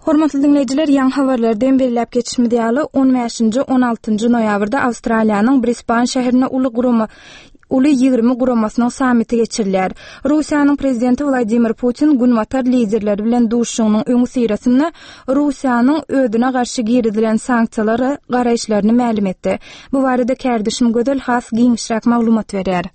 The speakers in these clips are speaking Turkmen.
Hormatly diňleýjiler, ýaňy habarlarda hem belläp geçişimiz ýaly, on bäşinji, on altynjy noýabrda Awstraliýanyň Brisban şäherinde uly gurama Uly 20 guramasynyň sammiti geçirilýär. Russiýanyň prezidenti Wladimir Putin Günbatar liderleri bilen duşuşygynyň öňüsyrasynda Russiýanyň özüne garşy girizilen sanksiýalara garaýyşlaryny mälim etdi. Bu barada kärdeşim Gözel has giňişräk maglumat berýär.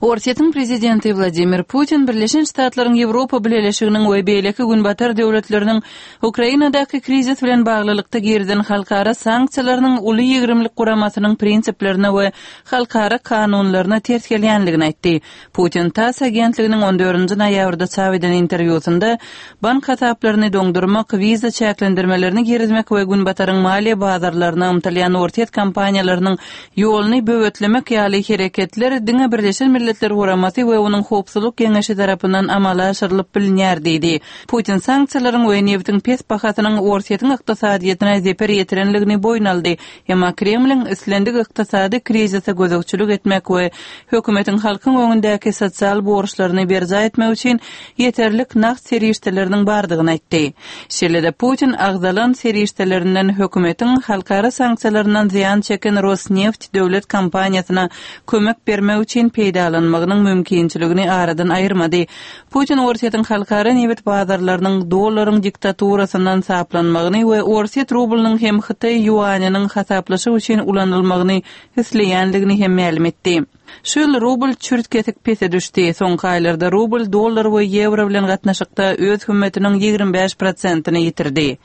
Orsýetiň prezidenti Wladimir Putin Birleşen Ştatlaryň Ýewropa Bileleşiginiň we beýleki Günbatar döwletleriniň Ukrainadaky krizis bilen baglylykda girizen halkara sanksiýalarynyň Uly ýigrimlik guramasynyň prinsiplerine we halkara kanunlaryna ters gelýändigini aýtdy. Putin tass agentliginiň on dördünji noýabrda çap eden interwýusynda bank hasaplaryny doňdurmak, wiza çäklendirmelerini girizmek we Günbataryň maliýe bazarlaryna ymtylýan orsýet kompaniýalarynyň ýoluny böwetlemek ýaly hereketler diňe Birleşen Milletler Guramasy we onuň Howpsuzlyk Geňeşi tarapyndan amala aşyrylyp bilinýär diýdi. Putin sanksiýalaryň we nebitiň pes bahasynyň Orsýetiň ykdysadyýetine zeper ýetirenligini boýun aldy, emma Kremliň islendik ykdysady krizise gözegçilik etmek we hökümetiň halkyň öňündäki sosial borçlaryny berjaý etmek üçin ýeterlik nagt serişdeleriniň bardygyny aýtdy. Şeýle-de Putin agzalan serişdelerinden hökümetiň halkara sanksiýalaryndan zyýan çeken Rosneft döwlet kompaniýasyna kömek bermek üçin peýdalanmagynyň mümkinçiligini aradan aýyrmady. Putin Orsýetiň halkara nebit bazarlarynyň dollaryň diktaturasyndan saplanmagyny we orsýet rublynyň hem hytaý ýuanynyň hasaplaşyk üçin ulanylmagyny isleýändigini hem mälim etdi. Şu ýyl rubl çürt-kesik pese düşdi. Soňky aýlarda rubl dollar we ýewro bilen gatnaşykda öz hümmetiniň 25 prosentini ýitirdi.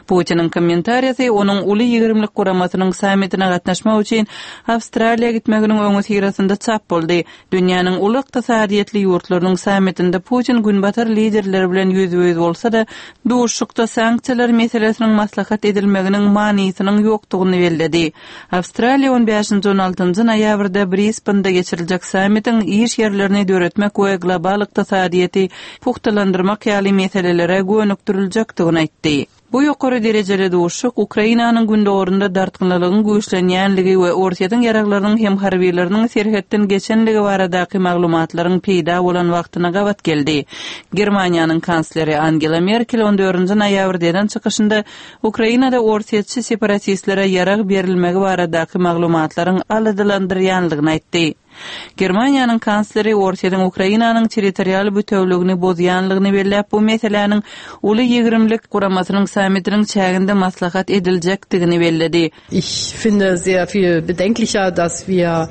Putiniň kommentariýasy onuň Uly ýigrimlik guramasynyň sammitine gatnaşmak üçin Awstraliýa gitmeginiň öňüsyrasynda çap boldy. Dünýäniň uly ykdysadyýetli ýurtlarynyň sammitinde Putin günbatar liderleri bilen ýüzbe-ýüz bolsa-da, duşuşykda sanksiýalar meselesiniň maslahat edilmeginiň manysynyň ýokdugyny belledi. Awstraliýa on bäşinji-on altynjy noýabrda Brisbende geçiriljek sammitiň iş ýerlerini döretmek we global ykdysadyýeti pugtalandyrmak ýaly meselelere gönükdiriljekdigini aýtdy. Bu ýokary derejeli duşuşyk Ukrainanyň gündogarynda dartgynlylygyň güýçlenýänligi we Orsýetiň ýaraglarynyň hem harbylarynyň serhetden geçenligi baradaky maglumatlaryň peýda bolan wagtyna gabat geldi. Germaniýanyň kansleri Angela Merkel on dördünji noýabrda eden çykyşynda Ukrainada orsýetçi separatistlere ýarag berilmegi baradaky maglumatlaryň aladalandyrýanlygyny aýtdy. Germaniýanyň kansleri Orsýetiň Ukrainanyň territorial bütewligini bozýanlygyny belläp, bu meseläniň Uly ýigrimlik guramasynyň sammitiniň çäginde maslahat ediljekdigini belledi. Ich finde sehr viel bedenklicher, dass wir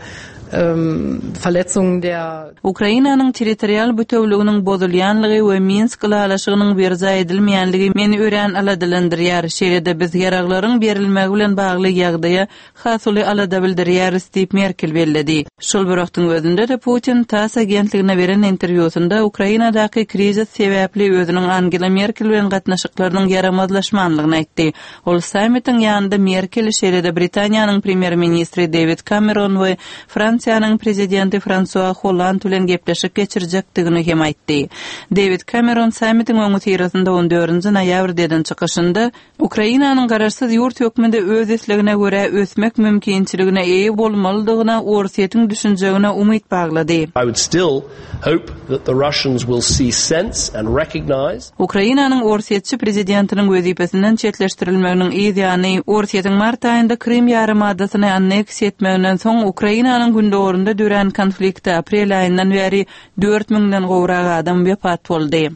Verletzungen der. Ukrainanyň territorial bütewliginiň bozulýanlygy we Minsk ylalaşygynyň berjaý edilmeýänligi meni örän aladalandyrýar. Şeýle-de biz ýaraglaryň berilmegi bilen bagly ýagdaýa has uly alada bildirýäris diýip, Merkel belledi. Şol bir wagtyň özünde-de Putin tass agentligine beren interwýusynda Ukrainadaky krizis sebäpli özüniň Angela Merkel bilen gatnaşyklarynyň ýaramazlaşmanlygyny aýtdy. Ol sammitiň ýanynda Merkel, şeýle-de Britaniýanyň premýer-ministri Dewid Kameron we Fransiýanyň prezidenti Fransua Holland bilen gepleşik geçirjekdigini hem aýtdy. Dewid Kameron sammitiň öňüsyrasynda on dördünji noýabrda eden çykyşynda, Ukrainanyň garaşsyz ýurt hökmünde öz islegine görä ösmek mümkinçiligine eýe bolmalydygyna Orsýetiň düşünjegine umyt baglady. I would still hope that the Russians will see sense and recognize. Ukrainanyň orsýetçi prezidentiniň wezipesinden çetleşdirilmeginiň yz ýany, Orsýetiň mart aýynda Krym ýarymadasyny anneksiýa etmeginden soň Ukrainanyň gündogarynda dörän konfliktde aprel aýyndan bäri dört müňden gowrak adam wepat boldy.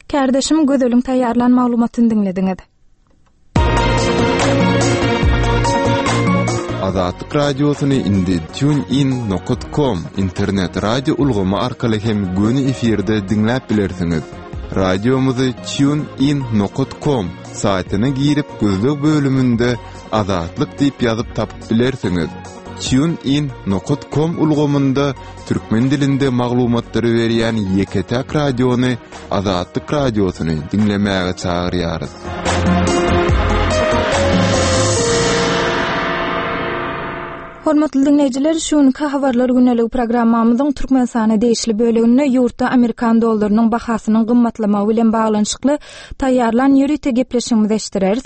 Kärdeşim Gözeliň taýýarlan maglumatyny diňlediňiz. Azatlyk Radiosyny indi TuneIn nokat com internet radio ulgamy arkaly hem göni efirde diňläp bilersiňiz. Radiomyzy TuneIn nokat com saýtyna girip gözleg bölüminde Azatlyk diýip ýazyp tapyp bilersiňiz. TuneIn nokat com ulgamynda türkmen dilinde maglumatlary berýän ýeke-täk radiony Azatlyk Radiosyny diňlemäge çagyrýarys. Hormatly diňleýjiler, şu günki Habarlar gündeligi programmamyzyň Türkmenistana degişli böleginde ýurtda amerikan dollarynyň bahasynyň gymmatlamagy bilen baglanyşykly taýýarlan ýörite gepleşigimizi eşitdireris.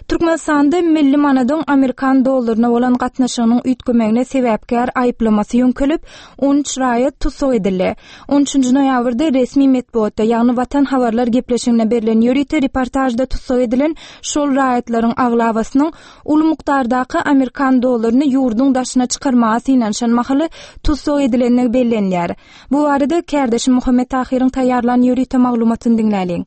Türkmenistanda milli manadyň amerikan dollaryna bolan gatnaşygynyň üýtgemegine sebäpkär aýyplamasy ýöňkelip, 13 raýat tussag edildi. On üçünji noýabrda resmi metbugatda, ýagny Watan habarlar gepleşiginde berlen ýörite reportažda tussag edilen şol raýatlaryň aglabasynyň uly mukdardaky amerikan dollaryny ýurduň daşyna çykarmaga synanyşan mahaly tussag edilendigi bellenýär. Bu barada kärdeşim Muhammet Tahyryň taýýarlan ýörite maglumatyny diňläliň.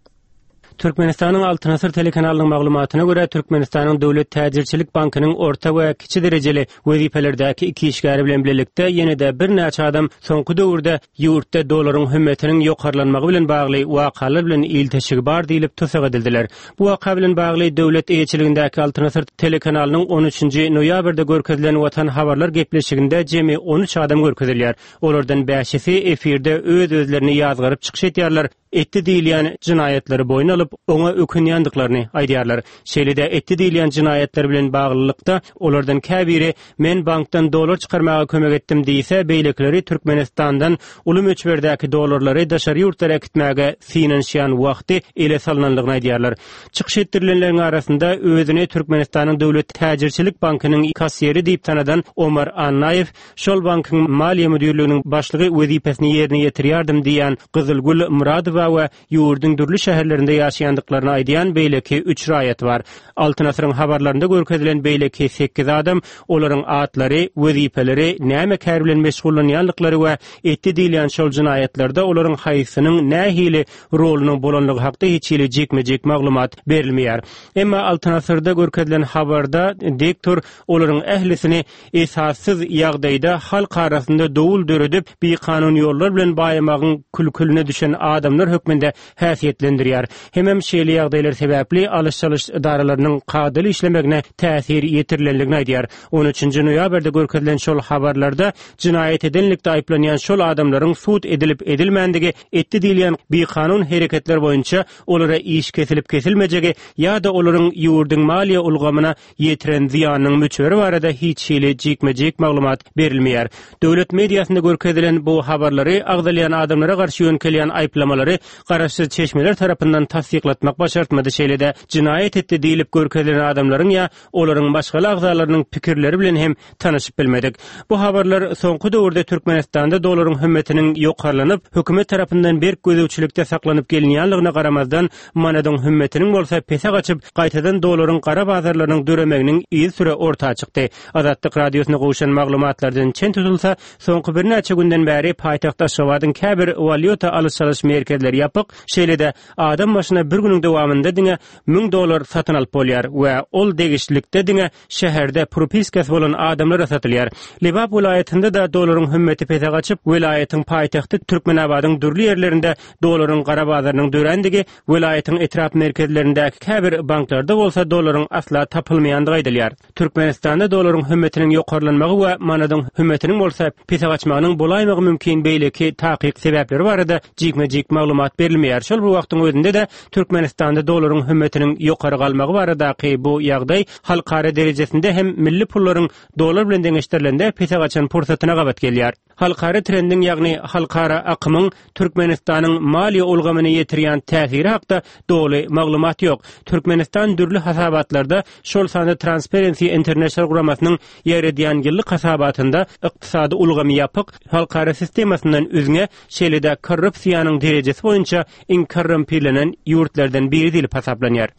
Türkmenistanyň Altyn asyr telekanalynyň maglumatyna görä, Türkmenistanyň Döwlet täjirçilik bankynyň orta we kiçi derejeli wezipelerdäki iki işgäri bilen bilelikde ýene-de birnäçe adam soňky döwürde ýurtda dollaryň hümmetiniň ýokarlanmagy bilen bagly wakalar bilen ilteşigi bar diýlip tussag edildiler. Bu waka bilen bagly döwlet eýeçiligindäki Altyn asyr telekanalynyň on üçünji noýabrda görkezilen Watan habarlar gepleşiginde jemi 13 adam görkezilýär. Olardan bäşisi efirde öz-özlerini ýazgaryp çykyş edýärler, etdi diýilýän jenaýatlary boýun alyp, oňa ökünýändiklaryny aýdýarlar. Şeýle-de etdi diýilýän jenaýatlar bilen baglylykda, olardan käbiri men bankdan dollar çykarmaga kömek etdim diýse, beýlekileri Türkmenistandan uly möçberdäki dollarlary daşary ýurtlara äkitmäge synanyşýan wagty ele salnanlygyny aýdýarlar. Çykyş etdirilenleriň arasynda özüni Türkmenistanyň Döwlet täjirçilik bankynyň kassiri diýip tanadan Omar Annaýew, Şol bankyň maliýe müdirliginiň başlygy wezipesini ýerine ýetirýärdim diýýän Gyzylgül Myradowa we ýurduň dürli şäherlerinde ýaşaýandyklaryny aýdýan beýleki üç raýat bar. Altyn asyryň habarlarynda görkezilen beýleki sekiz adam, olaryň atlary, wezipeleri, näme kär bilen meşgullanýandyklary we etdi diýilýän şol jenaýatlarda olaryň haýsysynyň nähili rolunyň bolanlygy hakda hiç hili jikme-jik maglumat berilmeýär. Emma Altyn asyrda görkezilen habarda diktor olaryň ählisini esassyz ýagdaýda halk arasynda dowul döredip, bikanun ýollar bilen baýamagyň külküline düşen adamlar hökmünde häsiýetlendirýär. Hemem şeýle ýagdaýlar sebäpli alyş-çalyş edaralarynyň kadaly işlemegine täsir ýetirilenligini aýdýar. On üçünji noýabrda görkezilen şol habarlarda jenaýat edenlikde aýyplanýan şol adamlaryň sud edilip-edilmändigi, etdi diýilýän bikanun hereketler boýunça olara iş kesilip-kesilmejegi ýa-da olaryň ýurduň maliýe ulgamyna ýetiren zyýanynyň möçberi barada hiç hili jikme-jik maglumat berilmeýär. Döwlet mediasynda görkezilen bu habarlary agzalýan adamlara garşy ýöňkelýän aýyplamalary garaşsyz çeşmeler tarapyndan tassyklatmak başartmady, şeýle-de jenaýat etdi diýlip görkezilen adamlaryň ýa olaryň maşgala agzalarynyň pikirleri bilen hem tanyşyp bilmedik. Bu habarlar soňky döwürde Türkmenistanda dollaryň hümmetiniň ýokarlanyp, hökümet tarapyndan berk gözegçilikde saklanyp gelinýänligine garamazdan, manadyň hümmetiniň bolsa pese gaçyp, gaýtadan dollaryň gara bazarlarynyň döremeginiň yzysüre orta çykdy. Azatlyk Radiosyna gowşan maglumatlardan çen tutulsa, soňky birnäçe günden bäri paýtagt Aşgabadyň käbir walýuta alyş-çalyş merkezleri ýapyk, şeýle-de adam başyna bir günüň dowamynda diňe 1000 dollar satyn alyp bolýar we ol degişlilikde diňe şäherde propiskasy bolan adamlara satylýar. Lebap welaýatynda-da dollaryň hümmeti pese gaçyp, welaýatyň paýtagty Türkmenabadyň dürli ýerlerinde dollaryň gara bazarynyň dörändigi, welaýatyň etrap merkezlerindäki käbir banklarda bolsa dollaryň asla tapylmaýandygy aýdylýar. Türkmenistanda dollaryň hümmetiniň ýokarlanmagy we manadyň hümmetiniň bolsa pese gaçmagynyň bolaýmagy mümkin beýleki takyk sebäpleri barada jikme-jik maglumat berilmeýär. Şol bir wagtyň özünde-de Türkmenistanda dollaryň hümmetiniň ýokary galmagy baradaky bu ýagdaý halkara derejesinde hem milli pullaryň dollar bilen deňeşdirilende pese gaçan pursatyna gabat gelýär. Halkara trendiň, ýagny halkara akymyň Türkmenistanyň maliýe ulgamyna ýetirýän täsiri hakda doly maglumat ýok. Türkmenistan dürli hasabatlarda, şol sanda Transparency International guramasynyň ýaýradýan ýyllyk hasabatynda ykdysady ulgamy ýapyk, halkara sistemasyndan üzňe, şeýle-de korrupsiýanyň derejesi boýunça iň korrumpirlenen ýurtlardan biri diýlip hasaplanýar.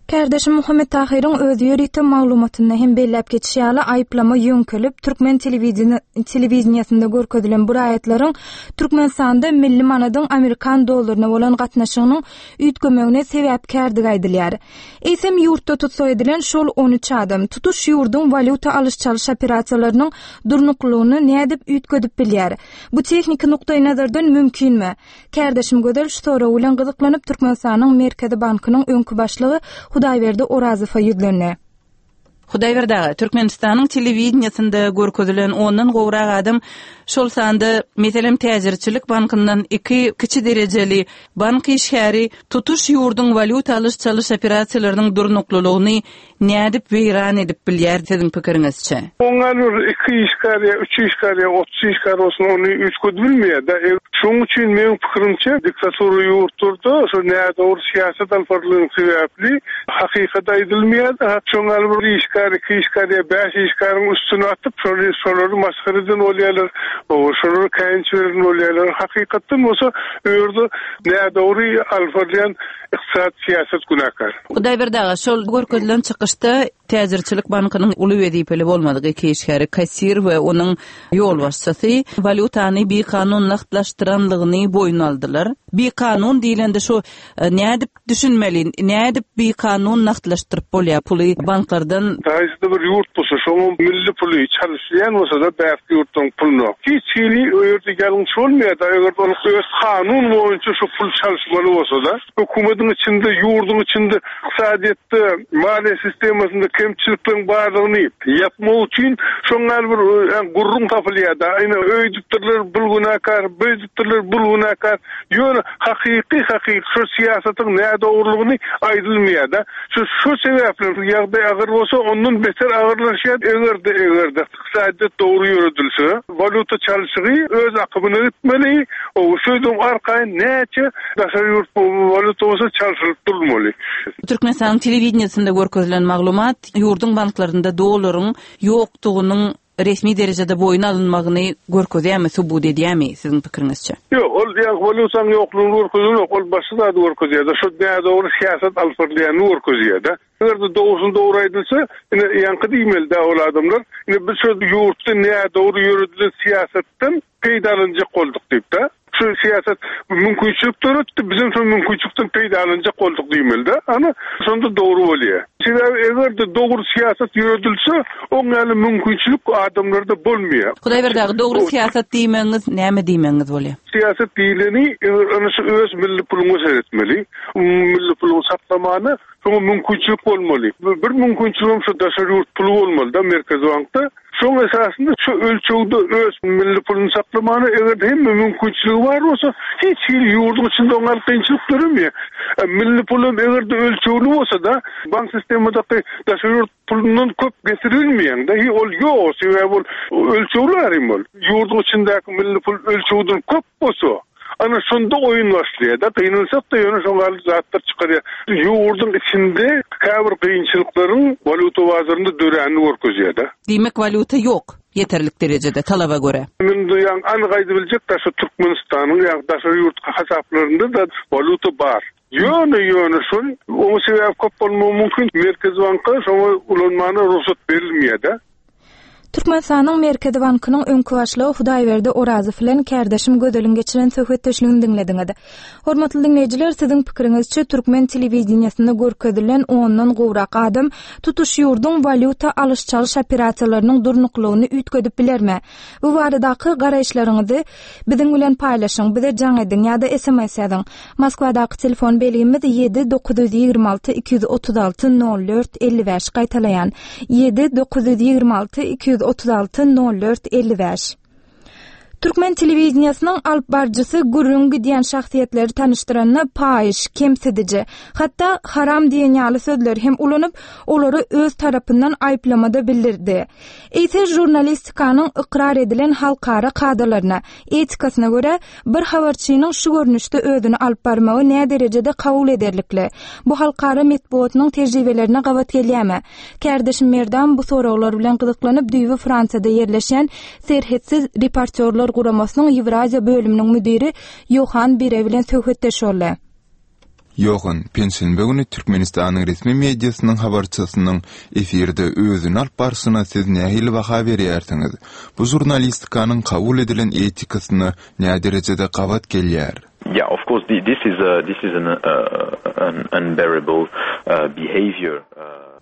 Kärdeşim Muhammet Tahyryň öz ýörite maglumatynda hem belläp geçişi ýaly, aýyplama ýöňkelip, türkmen telewideniýesinde görkezilen bu raýatlaryň Türkmenistanda milli manadyň amerikan dollaryna bolan gatnaşygynyň üýtgemegine sebäpkärdigi aýdylýar. Eýsem, ýurtda tussag edilen şol on üç adam tutuş ýurduň walýuta alyş-çalyş operasiýalarynyň durnuklylygyny nädip üýtgedip bilýär? Bu tehniki nukdaýnazardan mümkinmi? Kärdeşim Gözel şu sorag bilen gyzyklanyp, Türkmenistanyň Merkezi bankynyň öňki başlygy Hudaýberdi Orazowa ýüzlendi. Hudaýberdi aga, Türkmenistanyň telewideniýesinde görkezilen ondan gowrak adam Şol sanda, meselem, täjirçilik bankyndan iki kiçi derejeli bank işgäri tutuş ýurduň walýuta alyş-çalyş operasiýalarynyň durnuklylygyny nädip weýran edip bilýär siziň pikiriňizçe? Oňa bir iki işgär ýa üç işgär ýa 30 işgär bolsun ony üýtgedibilmeýär-de. Şonuň üçin meň pikirimçe diktatura ýurtlarda şo nädogry syýasat alyp barylany sebäpli hakykat aýdylmaýar-da. Şoň ýaly bir işgär, iki işgär ýa bäş işgäriň üstüne atyp şony şolary masgara eden bolýarlar, şolara käýinç beren bolýarlar. Hakykatdan bolsa bu ýerde nädogry alyp barylýan Ykdysady syýasat günäkär. Hudaýberdi aga, şol görkezilen çykyşda Täjirçilik bankynyň uly wezipeli bolmadyk iki işgäri, kassir we onuň ýolbaşçysy walýutany bikanun nagtlaşdyranlygyny boýun aldylar. Bikanun diýlende şu nädip düşünmeli, nädip bikanun nagtlaşdyryp bolýar puly banklardan? Haýsyda bir ýurt bolsa, şonuň milli puly çalyşylýan bolsa-da bärki ýurtlaryň puluna. Hiç hili o ýerde ýalňyş bolmaýar-da, eger ol öz kanun boýunça şu pul çalyşmaly bolsa-da. Hökümetiň içinde, ýurduň içinde ykdysadyýetde, maliýe sistemasynda kemçilikleriň barlygyny ýapmak üçin şoň ýaly bir gürrüň tapylýar-da. Ine, öýdüpdirler, bul günäkär, beýdipdirler, bul günäkär. Ýöne hakyky, hakyky şol syýasatyň nädogrulygyny aýdylmaýar-da. Şu şu sebäpli ýagdaý agyr bolsa, ondan beter agyrlaşýar. Eger-de, eger-de ykdysadyýet dogry ýöredilse, walýuta çalşygy öz akymyna gitmeli, o şeýdip arkaýyn näçe daşary ýurt walýuta bolsa çalşylyp durulmaly. Türkmenistanyň telewideniýesinde görkezilen maglumat ýurduň banklarynda dollaryň ýokdugynyň resmi derejede boýun alynmagyny görkezýärmi, subut edýärmi siziň pikiriňizçe? Ýok, ol ýa walýutanyň ýoklugyny görkezenok, ol başga zady görkezýär-de, şo nädogry syýasat alyp barylýanyny görkezýär-de. Eger-de dogrusyny dogry aýdylsa, ine, ýaňky diýmeli-dä ol adamlar, ine, biz şo ýurtda nädogry ýöredilen syýasatdan peýdalanjak bolduk diýip-de. Şu syýasat mümkinçilik döretdi, bizem şol mümkinçilikden peýdalanjak bolduk diýmeli-de. Ana, şonda dogry bolýar. Sebäbi eger-de dogry syýasat ýöredilse, oň ýaly mümkinçilik adamlarda bolmaýar. Hudaýberdi aga, dogry syýasat diýmegiňiz näme diýmegiňiz bolýar? Syýasat diýleni, eger ana şu öz milli puluňa seretmeli. Milli puluňy saklamana şoňa mümkinçilik bolmaly. Bir mümkinçiligem şu daşary ýurt puly bolmaly-da Merkezi bankda. Şoň esasynda şu ölçegde öz milli puluny saklamana eger hemme mümkinçiligi bar bolsa, hiç hili ýurduň içinde oňa kynçylyk döremeýär. Milli pul hem eger-de ölçegli bolsa-da, bank sistemadaky daşary ýurt pulundan köp getirilmeýäň-de, hi ol ýok, sebäbi ol ölçegli arym ol. Ýurduň içindäki milli pul ölçegden köp bolsa, Ana şonda oýun başlaýar-da, gynansak-da ýöne şoň ýaly zatlar çykarýar. Ýurduň içinde käbir kynçylyklaryň walýuta bazarynda döränini görkezýär-de. Diýmek walýuta ýok ýeterlik derejede talaba görä. Indi ýaňy anyk aýdybiljek daşy Türkmenistanyň ýa daşary ýurt hasaplarynda-da walýuta bar. Ýöne ýöne şol oňa sebäp köp bolmagy mümkin Merkezi banka şoňa ulanmana rugsat berilmeýär-de. Türkmenistanyň Merkezi bankynyň öňki başlygy Hudaýberdi Orazow bilen kärdeşim Gözeliň geçiren söhbetdeşligini diňlediňiz. Hormatly diňleýjiler, siziň pikiriňizçe türkmen telewideniýesinde görkezilen ondan gowrak adam tutuş ýurduň walýuta alyş-çalyş operasiýalarynyň durnuklylygyny üýtgedip bilermi? Bu baradaky garaýyşlaryňyzy biziň bilen paýlaşyň, bize jaň ediň ýa-da sms ýazyň. Moskwadaky telefon belgimiz 7 926 236 04 55 gaýtalaýan 7 926 236 04 55. Türkmen telewideniýesiniň alyp baryjysy gürrüň gidýän şahsyýetleri tanyşdyranda paýyş, kemsidiji, hatda haram diýen ýaly sözleri hem ulanyp, olary öz tarapyndan aýyplamada bildirdi. Eýse žurnalistikanyň ykrar edilen halkara kadalaryna, etikasyna görä, bir habarçynyň şu görnüşde özüni alyp barmagy näderejede kabul ederlikli? Bu halkara metbugatynyň tejribelerine gabat gelýärmi? Kärdeşim Merdan bu soraglar bilen gyzyklanyp, düýbi Fransiýada ýerleşýän Serhetsiz reportýorlar guramasynyň Ýewraziýa bölüminiň müdiri Ýohan Bire bilen söhbetdeş boldy. Ýohan, penşenbe güni Türkmenistanyň resmi mediasynyň habarçysynyň efirde özüni alyp barşyna siz nähili baha berýärsiňiz? Bu žurnalistikanyň kabul edilen etikasyna näderejede gabat gelýär? Yeah, of course, this is a, this is an, an unbearable behavior.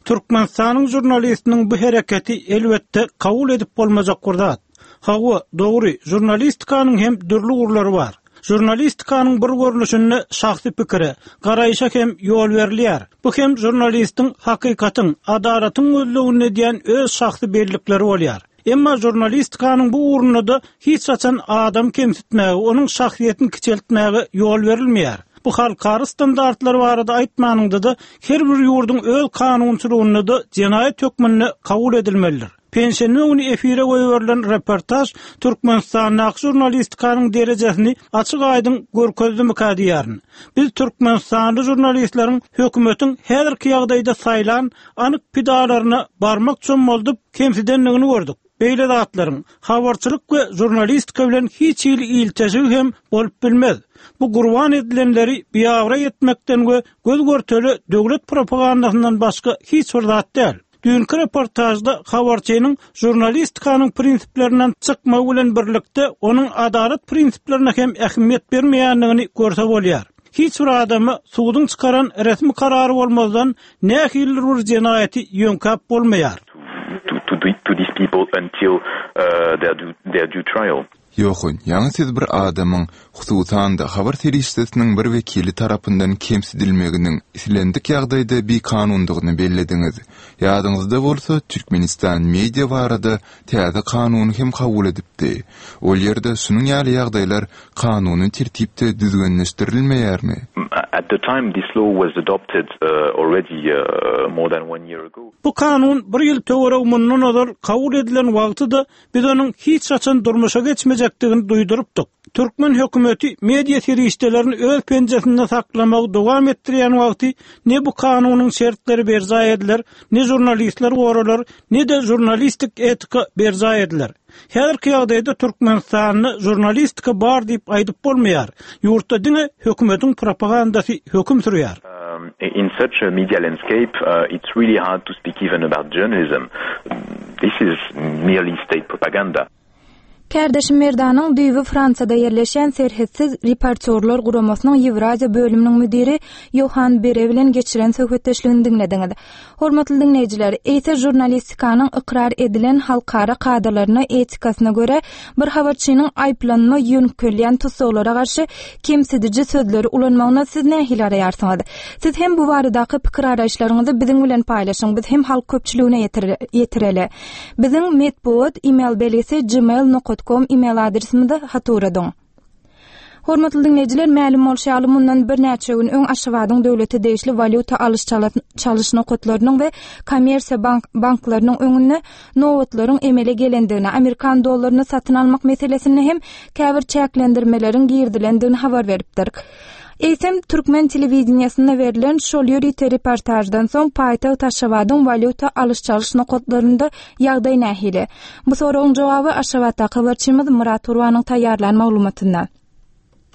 Türkmenistanyň žurnalistiniň bu hereketi, elbetde, kabul edip bolmajak bir zat. Hawa, dogry, žurnalistikanyň hem dürli ugurlary bar. Žurnalistikanyň bir görnüşinde şahsy pikire, garaýşa hem ýol berilýär. Bu hem žurnalistiň hakykatyň, adalatyň gözleginde edýän öz şahsy bellikleri bolýar. Emma žurnalistikanyň bu ugrunda-da hiç haçan adam kemsitmäge, onuň şahsyýetini kiçeltmäge ýol berilmeýär. Bu halkara standartlary barada aýtmanyňda-da, her bir ýurduň öz kanunçylygynda-da jenaýat hökmünde kabul edilmelidir. Penşenbe güni efire goýberilen reportaž Türkmenistandaky žurnalistikanyň derejesini açyk-aýdyň görkezdimikä diýýärin. Biz türkmenistanly žurnalistleriň hökümetiň häzirki ýagdaýda saýlan anyk pidalaryna barmak çommaldyp kemsidendigini gördük. Beýle zatlaryň habarçylyk we žurnalistika bilen hiç hili ilteşigi hem bolup bilmez. Bu gurban edilenleri biabraý etmekden we göz-görtele döwlet propagandasyndan başga hiç bir zat däl. Düýnki reportažda habarçynyň žurnalistikanyň prinsiplerinden çykmagy bilen birlikde, onuň adalat prinsiplerine hem ähmiýet bermeýändigini görse bolýar. Hiç bir adama suduň çykaran resmi karary bolmazdan nähilidir bir jenaýaty ýöňkäp bolmaýar. Ýohun, ýaňy siz bir adamyň, hususan-da, habar serişdesiniň bir wekili tarapyndan kemsidilmeginiň islendik ýagdaýda bikanundygyny bellediňiz. Ýadyňyzda bolsa, Türkmenistan media barada täze kanuny hem kabul edipdi. Ol ýerde şunuň ýaly ýagdaýlar kanuny tertipde düzgünleşdirilmeýärmi? At the time this law was adopted already more than one year ago. Bu kanun bir ýyl töweregi mundan ozal kabul edilen wagty-da Biz onuň hiç haçan durmuşa geçmejekdigini duýdurypdyk. Türkmen hökümeti media serişdelerini öz penjesinde saklamagy dowam etdirýän wagty ne bu kanunyň şertleri berjaý ediler, ne žurnalistler goralar, ne-de žurnalistik etika berjaý ediler. Häzirki ýagdaýda Türkmenistanda žurnalistika bar diýip aýdyp bolmaýar. Ýurtda diňe hökümetiň propagandasy höküm sürýär. In such a media landscape, it's really hard to speak even about journalism. This is merely state propaganda. Kärdeşim Merdanyň düýbi Fransiýada ýerleşýän Serhetsiz reportýorlar guramasynyň Ýewraziýa bölüminiň müdiri Ýohan Bere bilen geçiren söhbetdeşligini diňlediňiz. Hormatly diňleýjiler, eýse žurnalistikanyň ykrar edilen halkara kadalaryna, etikasyna görä, bir habarçynyň aýyplanma ýöňkelýän tussaglara garşy kemsidiji sözleri ulanmagyna siz nähili garaýarsyňyz? Siz hem bu baradaky pikir-garaýyşlaryňyzy biziň bilen paýlaşyň, biz hem halk köpçüligine ýetireli. Biziň metbugat email belgisi gmail nokat kom email adresimize hat ugradyň. Hormatly diňleýjiler, mälim bolşy ýaly, mundan birnäçe gün öň Aşgabadyň döwlete degişli walýuta alyş-çalyş nokatlarynyň we kommersiýa banklarynyň öňünde nobatlaryň emele gelendigini, amerikan dollaryny satyn almak meselesinde hem käbir çäklendirmeleriň girizilendigini habar beripdik. Eýsem, türkmen telewideniýesinde berlen şol ýörite reportaždan soň paýtagt Aşgabadyň walýuta alyş-çalyş nokatlarynda ýagdaý nähili? Bu soragyň jogaby Aşgabatdaky habarçymyz Myrat Gurbanyň taýýarlan maglumatynda.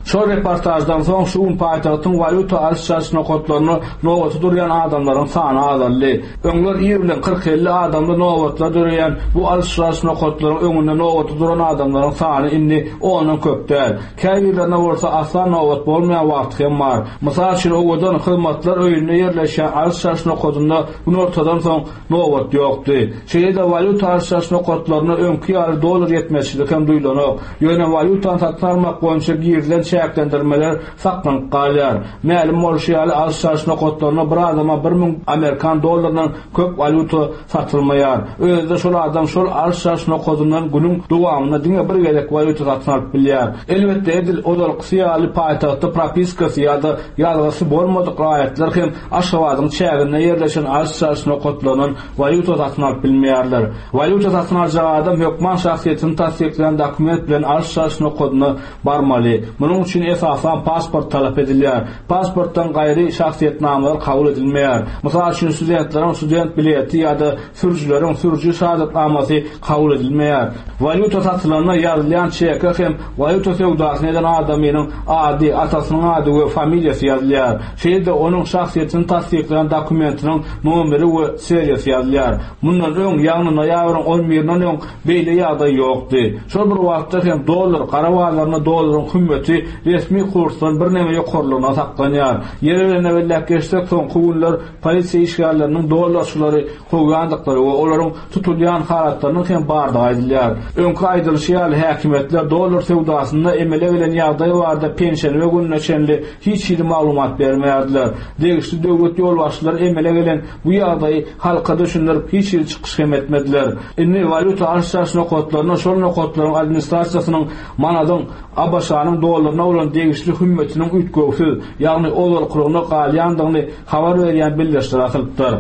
Şol reportaždan soň şu gün paýtagtyň walýuta alyş-çalyş nokatlarynda nobata durýan adamlaryň sany azaldy. Öňler ir bilen kyrk-elli adamly nobatlar döreýän bu alyş-çalyş nokatlaryň öňünde nobata duran adamlaryň sany indi ondan köp däl. Käbirlerine bolsa asla nobat bolmaýan wagty hem bar. Mysal üçin, Owadan hyzmatlar öýünde ýerleşýän alyş-çalyş nokadynda günortadan soň nobat ýokdy. Şeýle-de walýuta alyş-çalyş nokatlarynda öňki ýaly dollar ýetmezçilik hem duýlanok. Ýöne walýutany satyn almak boýunça girizilen çäklendirmeler saklanyp galýar. Mälim bolşy ýaly, alyş-çalyş nokatlarynda bir adama 1000 amerikan dollaryndan köp walýuta satylmaýar. Özi-de şol adam şol alyş-çalyş nokadyndan günüň dowamynda diňe bir gezek walýuta satyn alyp bilýär. Elbetde, edil ozalkysy ýaly paýtagtda propiskasy ýa-da ýazgysy bolmadyk raýatlar hem Aşgabadyň çäginde ýerleşen alyş-çalyş nokatlaryndan walýuta satyn alyp bilmeýärler. Walýuta satyn aljak adam hökman şahsyýetini tassyklaýan dokument bilen alyş-çalyş nokadyna barmaly. Munuň üçin esasan pasport talap edilýär. Pasportdan gaýry şahsyýetnamalar kabul edilmeýär. Mysal üçin, studentleriň student bileti ýa-da sürüjileriň sürüji şahadatnamasy kabul edilmeýär. Walýuta satylanda ýazylýan çeke hem walýuta söwdasyny eden adamynyň ady, atasynyň ady we familiýasy ýazylýar. Şeýle-de onuň şahsyýetini tassyklaýan dokumentiniň nomeri we seriýasy ýazylýar. Mundan öň, ýagny noýabryň on birinden öň beýle ýagdaý ýokdy. Şol bir wagtda hem dollar gara bazarynda dollaryň hümmeti. resmi kursdan birneme ýokarlygyna saklanýar. Ýeri gelende belläp geçsek, soňky günler polisiýa işgärleriniň dollarçylary kowýandyklary we olaryň tutulýan halatlarynyň hem bardygy aýdylýar. Öňki aýdylyşy ýaly, häkimiýetler dollar söwdasynda emele gelen ýagdaý barada penşenbe gününe çenli hiç hili maglumat bermeýärdiler. Degişli döwlet ýolbaşçylary emele gelen bu ýagdaýy halka düşündirip hiç hili çykyş hem etmediler. Indi walýuta alyş-çalyş nokatlarynda şol nokatlaryň administrasiýasynyň manadyň ABŞ-nyň dollaryna bolan degişli hümmetiniň üýtgewsiz, ýagny ozalkylygyna galýandygyny habar berýän bildirişler asylypdyr.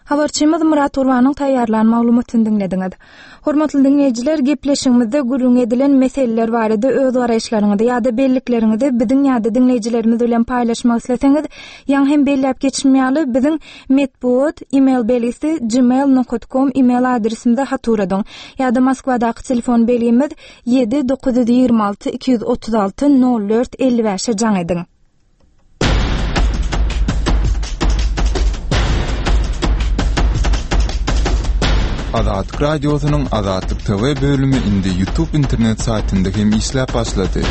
Habarçymyz Myrat Gurbanyň taýýarlan maglumatyny diňlediňiz. Hormatly diňleýjiler, gepleşigimizde gürrüňi edilen meseleler barada öz garaýyşlaryňyzy ýa-da bellikleriňizi biziň ýa-da diňleýjilerimiz bilen paýlaşmak isleseňiz, ýaňy hem belläp geçişim ýaly, biziň metbugat email belgisi gmail nokat kom email adresimize hat ugradyň ýa-da Moskwadaky telefon belgimiz 7 926 236 04 55-e jaň ediň. Azatlyk Radiosynyň Azatlyk TV bölümi indi YouTube internet saýtynda hem işläp başlady.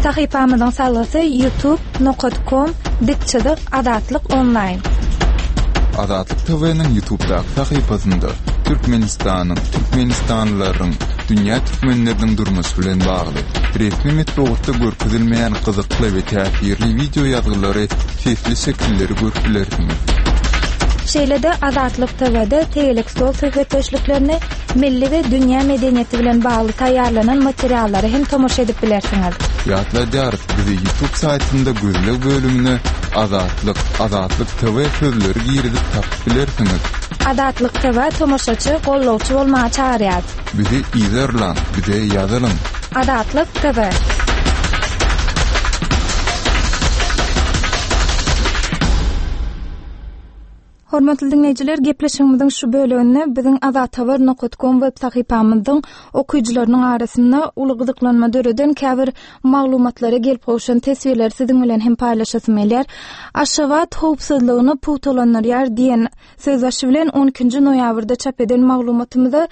Sahypamyzyň salgysy youtube nokat kom dik çyzyk Azatlyk onlaýn. Azatlyk TV-niň YouTube'daky sahypasynda Türkmenistanyň, türkmenistanlylaryň, dünýä türkmenleriniň durmuşy bilen bagly, resmi metbugatda görkezilmeýän gyzykly we täsirli wideo ýazgylary, sesli şekilleri görüp bilersiňiz. Şeýle-de Azatlyk TW-de tegelek stol söhbetdeşliklerini, milli we dünýä medeniýeti bilen bagly taýýarlanan materiallara hem tomaşa edip bilersiňiz. Ýatladýarys, bizi YouTube saýtynda gözleg bölümine Azatlyk, Azatlyk TV sözleri girizip tapyp bilersiňiz. Azatlyk TV tomaşaçy, gollawçy bolmaga çagyrýar. Bizi yzarlaň, bize ýazylyň. Azatlyk TV. Hormatly diňleýjiler, gepleşigimiziň şu böleginde biziň azathabar nokat kom web sahypamyzyň okyjylarynyň arasynda uly gyzyklanma döreden käbir maglumatlara gelip gowşan teswirleri siziň bilen hem paýlaşasym gelýär. Aşgabat howpsuzlygyny pugtalandyrýar diýen sözbaşy bilen on ikinji noýabrda çap eden maglumatymyza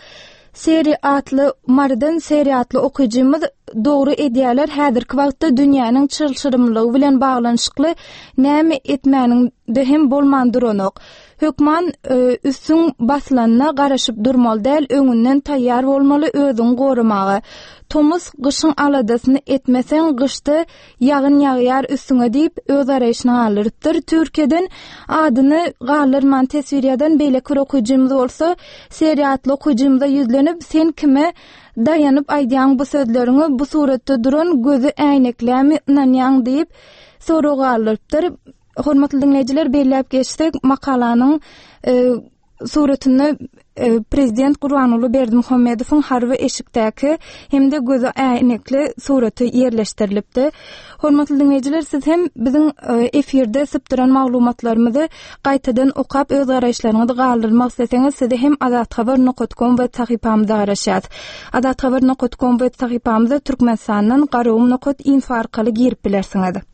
Seri atly Marydan Seri atly okyjymyz dogry edýärler häzirki wagtda dünýäniň çylşyrymlygy bilen baglanyşykly näme etmäniňde hem bolman duranok. Hökman e, üstüň basylanyna garaşyp durmaly däl öňünden taýýar bolmaly özüňi goramaga. Tomus gyşyň aladasyny etmeseň gyşda Ýagyn ýagýar üstüňe diýip, öz garaýşyny galdyrypdyr. Türkiýeden adyny galdyrman teswir ýazan beýleki bir okyjymyz bolsa, Seri atly okyjymyza ýüzlenip, Sen kime daýanyp aýdýaň bu sözleriňi, bu suratda duran gözi äýneklämi ynanýaň diýip, sorag galdyrypdyr. Hormatly diňleýjiler, belläp geçsek, makalanyň e, suratynda e, prezident Gurbanguly Berdimuhamedowyň harby eşikdäki hem-de gözi äýnekli suraty ýerleşdirilipdi. Hormatly diňleýjiler, siz hem biziň e, efirde sypdyran maglumatlarymyzy gaýtadan okap öz garaýyşlaryňyzy galdyrmak isleseňiz, sizi hem azathabar.com web sahypamyzda garaşýas. Azathabar.com web sahypamyza Türkmenistandan garagum.info arkaly girip bilersiňiz.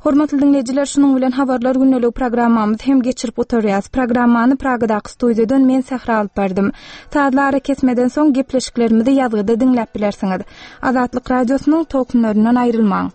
Hormatly diňleýjiler, şunuň bilen Habarlar gündeligi programmamyzy hem geçirip gutarýas. Programmany Pragadaky studiýadan men Sähra alyp bardym. Sazly arakesmeden soň gepleşiklerimizi ýazgyda diňläp bilersiňiz. Azatlyk Radiosynyň tolkunlaryndan aýrylmaň.